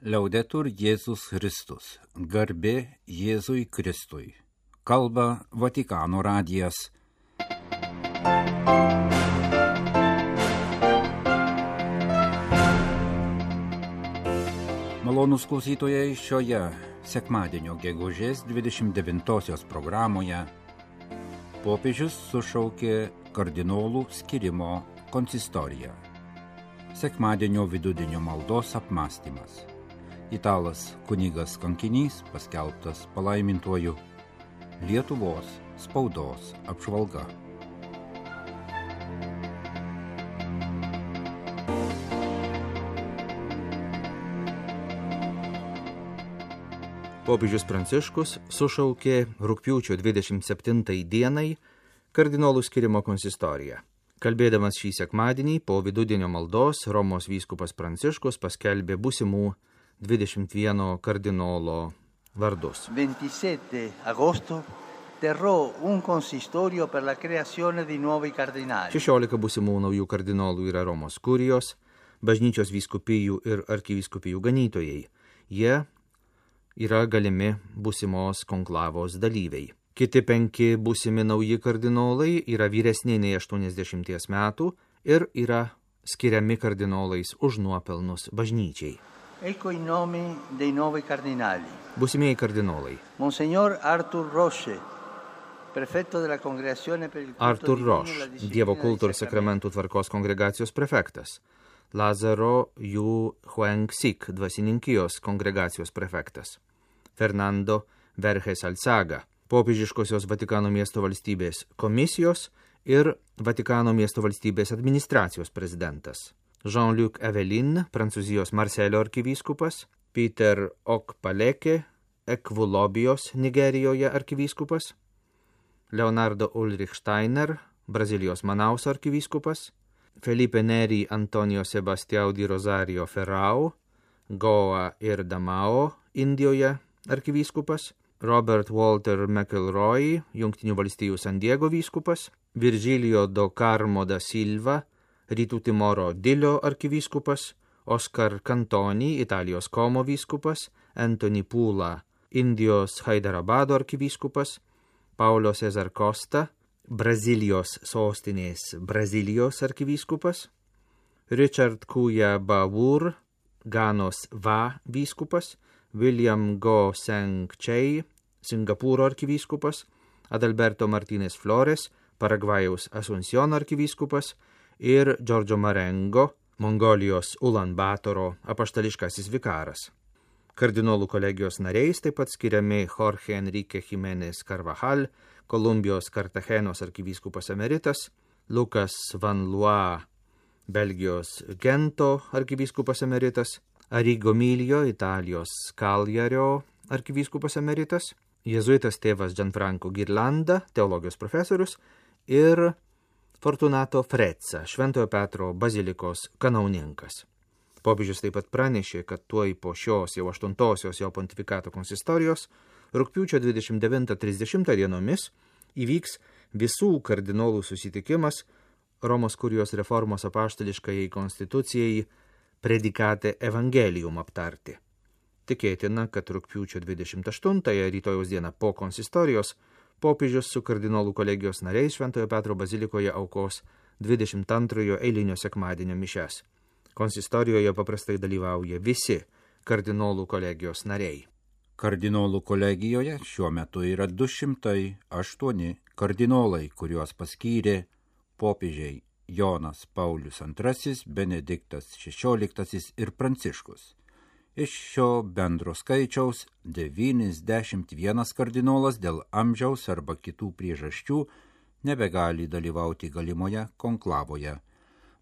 Liaudetur Jėzus Kristus, garbė Jėzui Kristui. Kalba Vatikano radijas. Malonūs klausytojai, šioje sekmadienio gegužės 29-osios programoje popiežius sušaukė kardinolų skyrimo konsistoriją. Sekmadienio vidudienio maldos apmąstymas. Italas kunigas kankinys paskelbtas palaimintuoju. Lietuvos spaudos apžvalga. Popiežius Pranciškus sušaukė rugpjūčio 27 dienai kardinolų skyrimo konsistoriją. Kalbėdamas šį sekmadienį po vidudienio maldos, Romos vyskupas Pranciškus paskelbė būsimų 21 kardinolo vardus. 27 agosto terrò un consistorio per la creazione di nuovi cardinali. 16 būsimų naujų kardinolų yra Romos kurijos, bažnyčios vyskupijų ir arkivyskupijų ganytojai. Jie yra galimi būsimos konklavos dalyviai. Kiti 5 būsimi nauji kardinolai yra vyresni nei 80 metų ir yra skiriami kardinolais už nuopelnus bažnyčiai. Ecco i nomi dei nuovi cardinali. Būsimieji kardinolai. Monsignor Arthur Roche, prefetto della Congregazione per il culto Arthur divino e la Roche, disciplina Dievo dei kulto ir sacramenti. sakramentų tvarkos kongregacijos prefektas. Lazaro Yu Huang-Sik, dvasininkijos kongregacijos prefektas. Fernando Verges Alzaga, popiežiškosios Vatikano miesto valstybės komisijos ir Vatikano miesto valstybės administracijos prezidentas. Jean-Luc Evelyn, Prancūzijos Marselio arkivyskupas. Peter Okpaleke, Ekvulobijos Nigerijoje arkivyskupas. Leonardo Ulrich Steiner, Brazilijos Manaus arkivyskupas. Felipe Neri Antonio Sebastião di Rosario Ferrao, Goa ir Damao, Indijoje arkivyskupas. Robert Walter McElroy, Jungtinių valstijų San Diego vyskupas. Virgilio do Carmo da Silva, Rytų Timoro Dilio arkivyskupas. Oscar Cantoni, Italijos Como vyskupas. Anthony Pula, Indijos Haidarabado arkivyskupas. Paulo Cesar Costa, Brazilijos sostinės Brazilijos arkivyskupas. Richard Kuya Bawur, Ganos Va vyskupas. William Go Seng Chei, Singapūro arkivyskupas. Adalberto Martínez Flores, Paragvajaus Asunción arkivyskupas. Ir Giorgio Marengo, Mongolijos Ulan Batoro apaštališkasis vikaras. Kardinolų kolegijos nariais taip pat skiriami Jorge Enrique Jiménez Carvajal, Kolumbijos Kartachenos arkivyskupas emeritas. Lucas Van Lua, Belgijos Gento arkivyskupas emeritas. Arrigo Milio, Italijos Cagliario arkivyskupas emeritas. Jėzuitas tėvas Gianfranco Girlanda, teologijos profesorius. Ir Fortunato Frezza, Šventojo Petro bazilikos kanauninkas. Popiežius taip pat pranešė, kad tuoj po šios jau 8-osios jo pontifikato konsistorijos rugpjūčio 29-30 dienomis įvyks visų kardinolų susitikimas Romos kurijos reformos apaštališkajai konstitucijai Predikate Evangelium aptarti. Tikėtina, kad rugpjūčio 28-ąją rytojaus dieną po konsistorijos popiežius su kardinolų kolegijos nariais Šventojo Petro bazilikoje aukos 22 eilinio sekmadienio mišias. Konsistorijoje paprastai dalyvauja visi kardinolų kolegijos nariai. Kardinolų kolegijoje šiuo metu yra 208 kardinolai, kuriuos paskyrė popiežiai Jonas Paulius II, Benediktas XVI ir Pranciškus. Iš šio bendro skaičiaus 91 kardinolas dėl amžiaus arba kitų priežasčių nebegali dalyvauti galimoje konklavoje.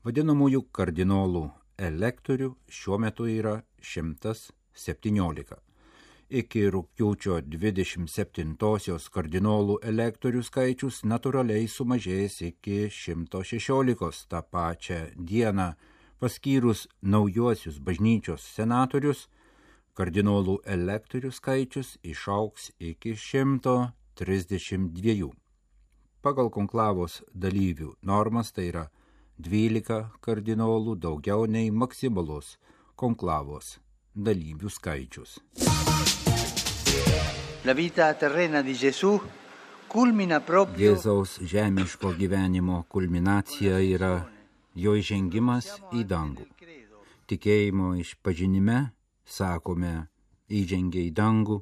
Vadinamųjų kardinolų elektorių šiuo metu yra 117. Iki rugpjūčio 27-osios kardinolų elektorių skaičius natūraliai sumažės iki 116 tą pačią dieną. Paskyrus naujuosius bažnyčios senatorius, kardinolų elektorių skaičius išaugs iki 132. Pagal konklavos dalyvių normas tai yra 12 kardinolų daugiau nei maksimalus konklavos dalyvių skaičius. La vita terrena di Gesù culmina proprio Jėzaus žemiško gyvenimo kulminacija yra jo įžengimas į dangų. Tikėjimo išpažinime sakome, įžengė į dangų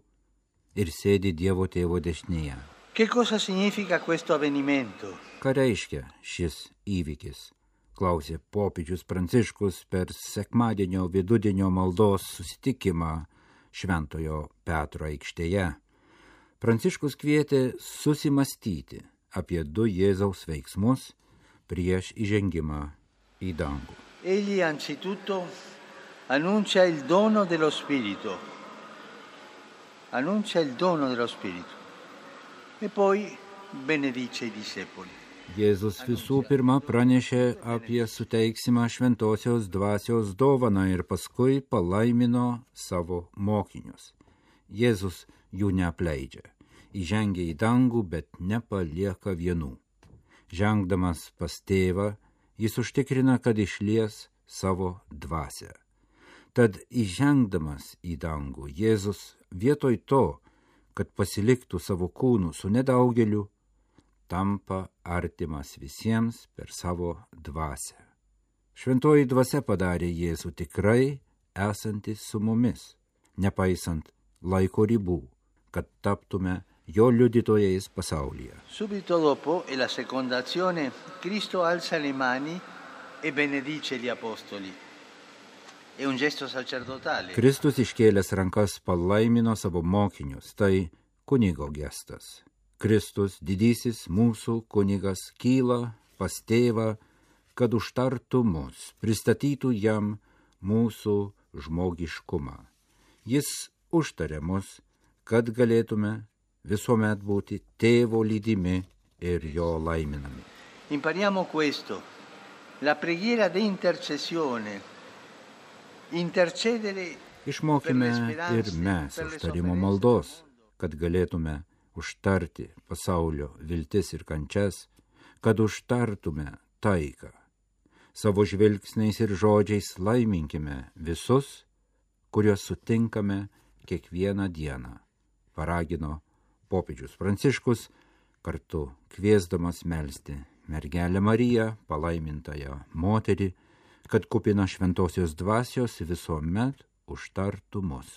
ir sėdi Dievo Tėvo dešinėje. Che cosa significa questo avvenimento? Ką reiškia šis įvykis? Klausė popiežius Pranciškus per sekmadienio vidudienio maldos susitikimą Šventojo Petro aikštėje. Pranciškus kvietė susimastyti apie du Jėzaus veiksmus prieš įžengimą į dangų. Egli anzitutto annuncia il dono dello Spirito. Annuncia il dono dello Spirito e poi benedice i discepoli. Jėzus visų pirma pranešė apie suteiksimą šventosios dvasios dovaną ir paskui palaimino savo mokinius. Jėzus jų neapleidžia, įžengia į dangų, bet nepalieka vienų. Žengdamas pas tėvą, jis užtikrina, kad išlies savo dvasią. Tad įžengdamas į dangų, Jėzus vietoj to, kad pasiliktų savo kūnų su nedaugeliu, tampa artimas visiems per savo dvasią. Šventoji dvasia padarė Jėzų tikrai esantis su mumis, nepaisant laiko ribų, kad taptume jo liudytojais pasaulyje. Subito dopo, e la seconda azione, Cristo alza le mani e benedice gli apostoli. È un gesto sacerdotale. Kristus iškėlęs rankas palaimino savo mokinius, tai kunigo gestas. Kristus, didysis mūsų kunigas, kyla pas tėvą, kad užtartų mus, pristatytų jam mūsų žmogiškumą. Jis užtarė mus, kad galėtume visuomet būti tėvo lydimi ir jo laiminami. Impariamo questo. La preghiera di intercessione. Intercedere. Išmokime ir mes užtarimo maldos, kad galėtume užtarti pasaulio viltis ir kančias, kad užtartume taiką. Savo žvilgsniais ir žodžiais laiminkime visus, kuriuos sutinkame kiekvieną dieną, paragino popiežius Pranciškus, kartu kviesdamas melsti mergelę Mariją, palaimintąją moterį, kad kupina šventosios dvasios visuomet užtartų mus.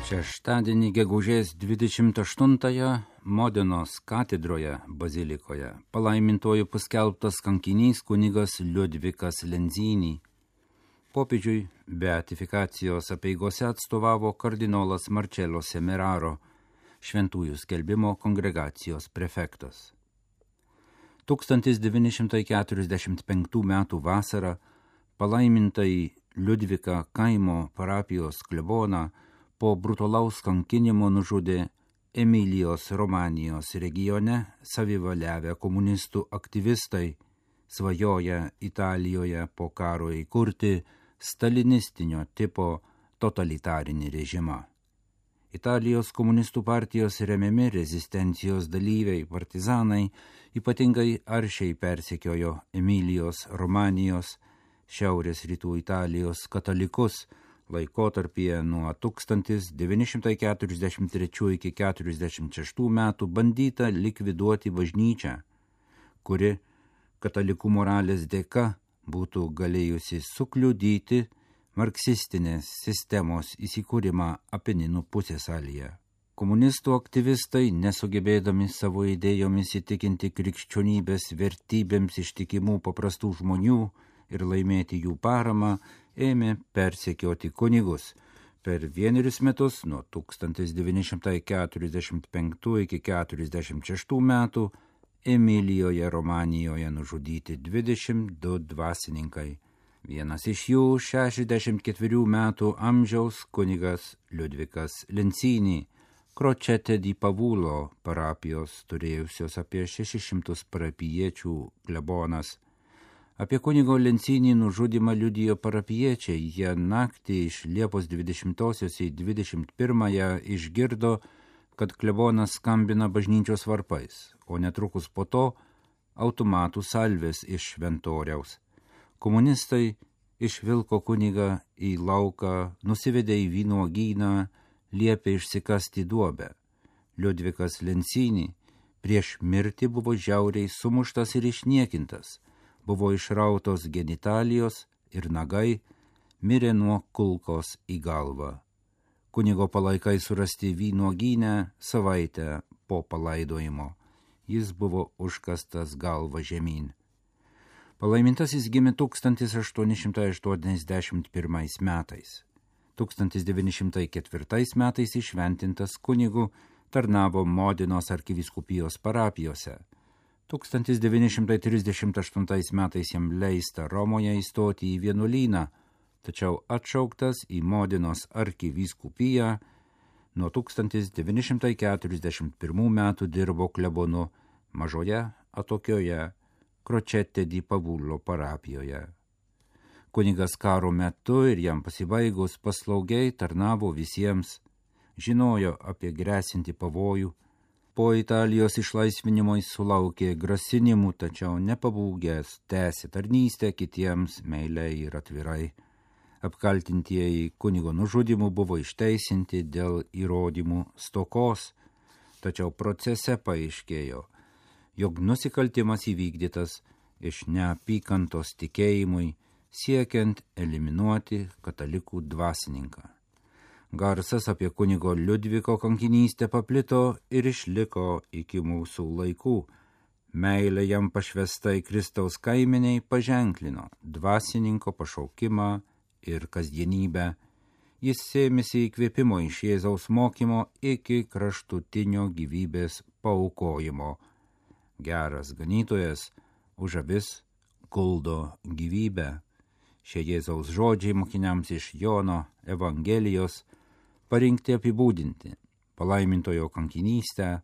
Šeštadienį gegužės 28-ąją Modenos katedroje bazilikoje palaimintojų paskelbtas kankinys kunigas Liudvikas Lenzini. Popiežiui beatifikacijos apeigose atstovavo kardinolas Marcello Semeraro, šventųjų skelbimo kongregacijos prefektas. 1945 m. vasarą palaimintai Liudviką kaimo parapijos kleboną po brutalaus kankinimo nužudė Emilijos Romanijos regione savivaliavę komunistų aktyvistai, svajoja Italijoje po karo įkurti stalinistinio tipo totalitarinį režimą. Italijos komunistų partijos remiami rezistencijos dalyviai partizanai ypatingai aršiai persekiojo Emilijos Romanijos, šiaurės rytų Italijos katalikus laikotarpyje nuo 1943 iki 1946 metų bandyta likviduoti bažnyčią, kuri katalikų moralės dėka būtų galėjusi sukliudyti marksistinės sistemos įsikūrimą Apeninų pusiasalyje. Komunistų aktyvistai, nesugebėdami savo idėjomis įtikinti krikščionybės vertybėms ištikimų paprastų žmonių ir laimėti jų paramą, ėmė persekioti kunigus. Per 1 metus nuo 1945 iki 1946 metų Emilijoje Romanijoje nužudyti 22 dvasininkai. Vienas iš jų 64 metų amžiaus kunigas Liudvikas Lenzini, Crocette di Pavulo parapijos turėjusios apie 600 parapiečių klebonas. Apie kunigo Lenzini nužudymą liudijo parapiečiai. Jie naktį iš Liepos 20 į 21 išgirdo, kad klebonas skambina bažnyčios varpais, o netrukus po to automatų salvės iš šventoriaus. Komunistai išvilko kunigą į lauką, nusivedė į vynuogyną, liepė išsikasti duobę. Liudvikas Lencinį prieš mirtį buvo žiauriai sumuštas ir išniekintas, buvo išrautos genitalijos ir nagai, mirė nuo kulkos į galvą. Kunigo palaikai surasti vynuogyne savaitę po palaidojimo. Jis buvo užkastas galva žemyn. Palaimintasis gimė 1881 metais. 1904 metais išventintas kunigu, tarnavo Modinos arkivyskupijos parapijose. 1938 metais jam leista Romoje įstoti į vienuolyną, tačiau atšauktas į Modinos arkivyskupiją. Nuo 1941 metų dirbo klebonu mažoje atokioje Crocette di Pavullo parapijoje. Kunigas karo metu ir jam pasibaigus paslaugiai tarnavo visiems, žinojo apie grėsintį pavojų. Po Italijos išlaisvinimo jis sulaukė grasinimų, tačiau nepabūgęs tęsė tarnystę kitiems meiliai ir atvirai. Apkaltintieji kunigo nužudimu buvo išteisinti dėl įrodymų stokos, tačiau procese paaiškėjo, jog nusikaltimas įvykdytas iš neapykantos tikėjimui, siekiant eliminuoti katalikų dvasininką. Garsas apie kunigo Liudviko kankinystę paplito ir išliko iki mūsų laikų. Meilė jam pašvestai Kristaus kaimeniai paženklino dvasininko pašaukimą ir kasdienybę. Jis sėmėsi įkvėpimo iš Jėzaus mokymo iki kraštutinio gyvybės paaukojimo. Geras ganytojas už avis guldo gyvybę. Šie Jėzaus žodžiai mokiniams iš Jono Evangelijos parinkti apibūdinti palaimintojo kankinystę,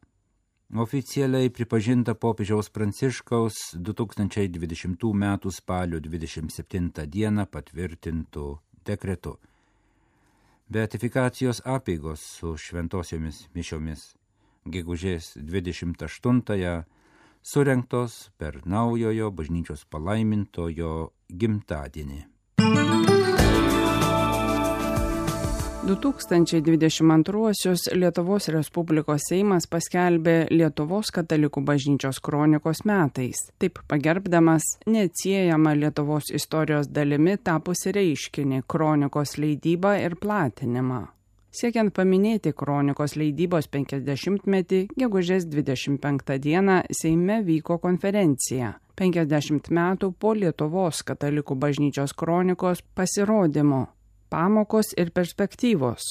oficialiai pripažinta popiežiaus Pranciškaus 2020 m. spalio 27 d. patvirtintų dekretu. Beatifikacijos apeigos su šventosiomis mišiomis gegužės 28 surengtos per naujojo bažnyčios palaimintojo gimtadienį. 2022 Lietuvos Respublikos Seimas paskelbė Lietuvos katalikų bažnyčios kronikos metais, taip pagerbdamas neatsiejamą Lietuvos istorijos dalimi tapusi reiškinį kronikos leidybą ir platinimą. Siekiant paminėti kronikos leidybos 50-metį, gegužės 25 dieną Seime vyko konferencija 50 metų po Lietuvos katalikų bažnyčios kronikos pasirodymo pamokos ir perspektyvos,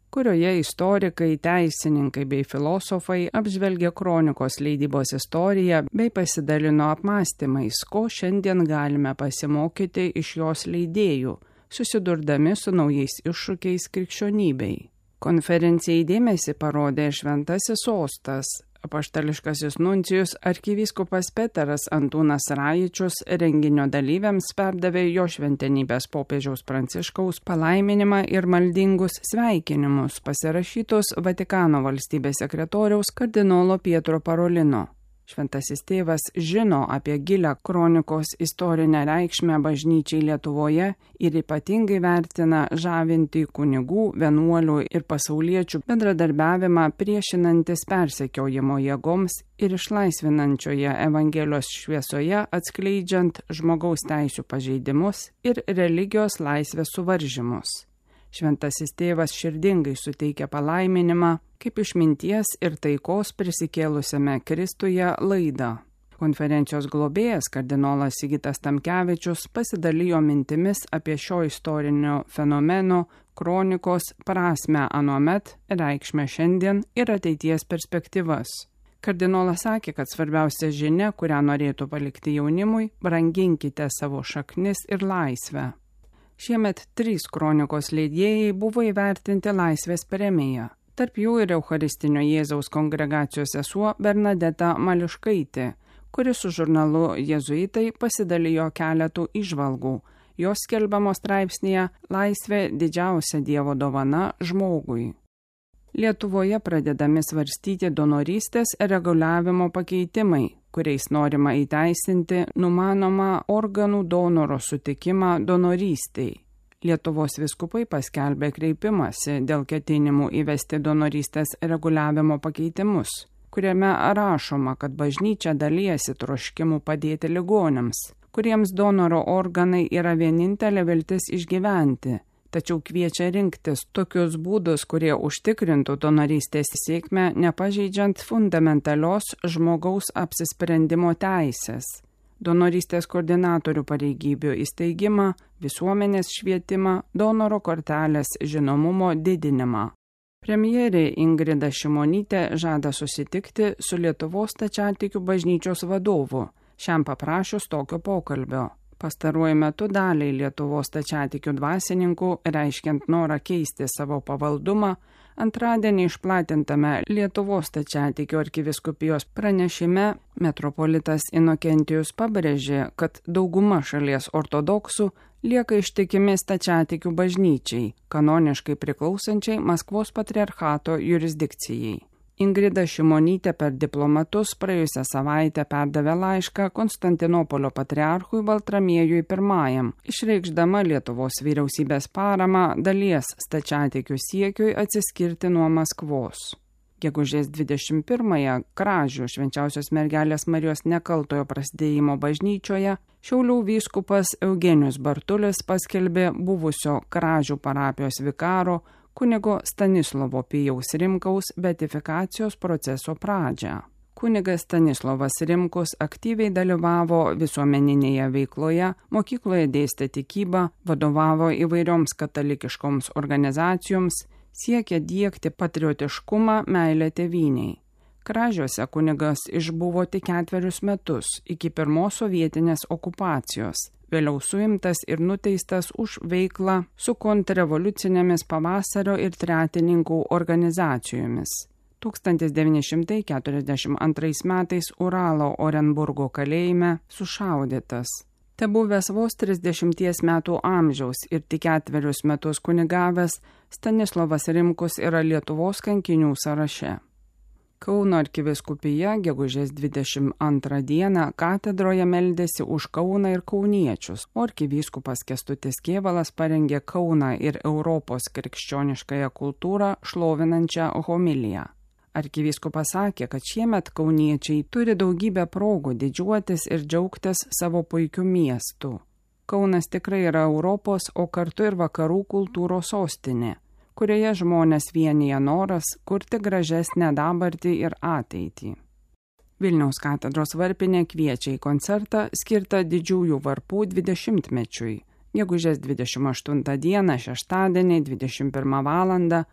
kurioje istorikai, teisininkai bei filosofai apžvelgė kronikos leidybos istoriją bei pasidalino apmąstymais, ko šiandien galime pasimokyti iš jos leidėjų, susidurdami su naujais iššūkiais krikščionybei. Konferencijai dėmesį parodė Šventasis Sostas, apaštališkasis nuncijus arkivyskupas Peteras Antūnas Rajičius renginio dalyviams perdavė jo šventenybės popiežiaus Pranciškaus palaiminimą ir maldingus sveikinimus pasirašytus Vatikano valstybės sekretoriaus kardinolo Pietro Parolino. Šventasis tėvas žino apie gilią kronikos istorinę reikšmę bažnyčiai Lietuvoje ir ypatingai vertina žavintį kunigų, vienuolių ir pasauliečių bendradarbiavimą priešinantis persekiojimo jėgoms ir išlaisvinančioje Evangelijos šviesoje atskleidžiant žmogaus teisių pažeidimus ir religijos laisvės suvaržymus. Šventasis tėvas širdingai suteikia palaiminimą kaip išminties ir taikos prisikėlusiame Kristuje laidą. Konferencijos globėjas kardinolas Sigitas Tamkevičius pasidalijo mintimis apie šio istorinio fenomeno kronikos prasmę anuomet, reikšmę šiandien ir ateities perspektyvas. Kardinolas sakė, kad svarbiausia žinia, kurią norėtų palikti jaunimui, branginkite savo šaknis ir laisvę. Šiemet 3 kronikos leidėjai buvo įvertinti laisvės premija. Tarp jų ir Eucharistinio Jėzaus kongregacijos sesuo Bernadeta Mališkaitė, kuri su žurnalu Jėzuitai pasidalijo keletų įžvalgų. Jos skelbiamos straipsnėje Laisvė didžiausia Dievo dovana žmogui. Lietuvoje pradedami svarstyti donorystės reguliavimo pakeitimai, kuriais norima įteisinti numanomą organų donoro sutikimą donorystei. Lietuvos vyskupai paskelbė kreipimąsi dėl ketinimų įvesti donorystės reguliavimo pakeitimus, kuriame rašoma, kad bažnyčia dalijasi troškimu padėti ligoniams, kuriems donoro organai yra vienintelė viltis išgyventi, tačiau kviečia rinktis tokius būdus, kurie užtikrintų donorystės sėkmę, nepažeidžiant fundamentalios žmogaus apsisprendimo teisės. Donorystės koordinatorių pareigybių įsteigimą, visuomenės švietimą, donoro kortelės žinomumo didinimą. Premjerė Ingrida Šimonytė žada susitikti su Lietuvos stačiatikių bažnyčios vadovu, šiam paprašius tokio pokalbio. Pastaruoju metu daliai Lietuvos stačiatikių dvasininkų, reiškiant norą keisti savo pavaldumą, antradienį išplatintame Lietuvos stačiatikių arkivyskupijos pranešime metropolitas Inokentijus pabrėžė, kad dauguma šalies ortodoksų lieka ištikimi stačiatikių bažnyčiai, kanoniškai priklausančiai Maskvos patriarchato jurisdikcijai. Ingrida Šimonytė per diplomatus praėjusią savaitę perdavė laišką Konstantinopolio patriarchui Baltramiejui I, išreikšdama Lietuvos vyriausybės paramą dalies stačiatikių siekiui atsiskirti nuo Maskvos. Gegužės 21-ąją Kražių Švenčiausios mergelės Marijos nekaltojo prasidėjimo bažnyčioje Šiaulių vyskupas Eugenijus Bartulis paskelbė buvusio Kražių parapijos vikaro kunigo Stanislovo Pijaus Rimkaus beatifikacijos proceso pradžią. Kunigas Stanislovas Rimkus aktyviai dalyvavo visuomeninėje veikloje, mokykloje dėstė tikybą, vadovavo įvairioms katalikiškoms organizacijoms, siekė diegti patriotiškumą, meilę tėvynei. Kražiuose kunigas išbuvo tik 4 metus iki pirmos sovietinės okupacijos. Vėliau suimtas ir nuteistas už veiklą su kontrrevoliucinėmis pavasario ir tretininkų organizacijomis. 1942 metais Uralo Orenburgo kalėjime sušaudytas. Tebuvęs vos 30 metų amžiaus ir tik 4 metus kunigavęs, Stanislovas Rimkus yra Lietuvos kankinių sąraše. Kauno arkivyskupija gegužės 22 dieną katedroje meldėsi už Kauną ir kauniečius, o arkivyskupas Kęstutis Kėvalas parengė Kauną ir Europos krikščioniškąją kultūrą šlovinančią homiliją. Arkivyskupas sakė, kad šiemet kauniečiai turi daugybę progų didžiuotis ir džiaugtis savo puikiu miestu. Kaunas tikrai yra Europos, o kartu ir vakarų kultūros sostinė, kurioje žmonės vienija noras kurti gražesnę dabartį ir ateitį. Vilniaus katedros varpinė kviečia į koncertą skirtą Didžiųjų varpų 20-mečiui. Gegužės 28 dieną, šeštadienį, 21 val.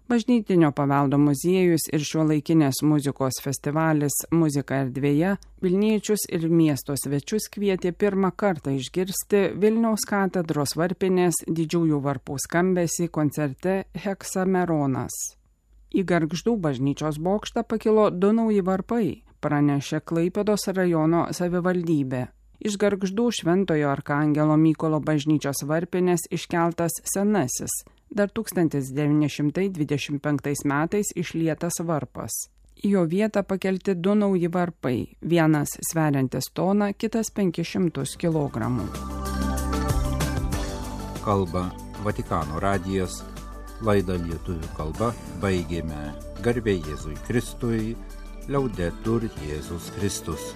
Bažnytinio paveldo muziejus ir šiuolaikinės muzikos festivalis Muzika erdvėje vilniečius ir miesto svečius kvietė pirmą kartą išgirsti Vilniaus katedros varpinės Didžiųjų varpų skambesį koncerte Heksameronas. Į Gargždų bažnyčios bokštą pakilo 2 nauji varpai, pranešė Klaipėdos rajono savivaldybė. Iš Gargždų Šventojo Arkangelo Mykolo bažnyčios varpinės iškeltas senasis, dar 1925 metais išlietas varpas. Į jo vietą pakelti 2 nauji varpai, vienas sveriantis toną, kitas 500 kg. Kalba Vatikano radijas, laidą lietuvių kalba baigėme. Garbė Jėzui Kristui, Liaudetur Jėzus Kristus.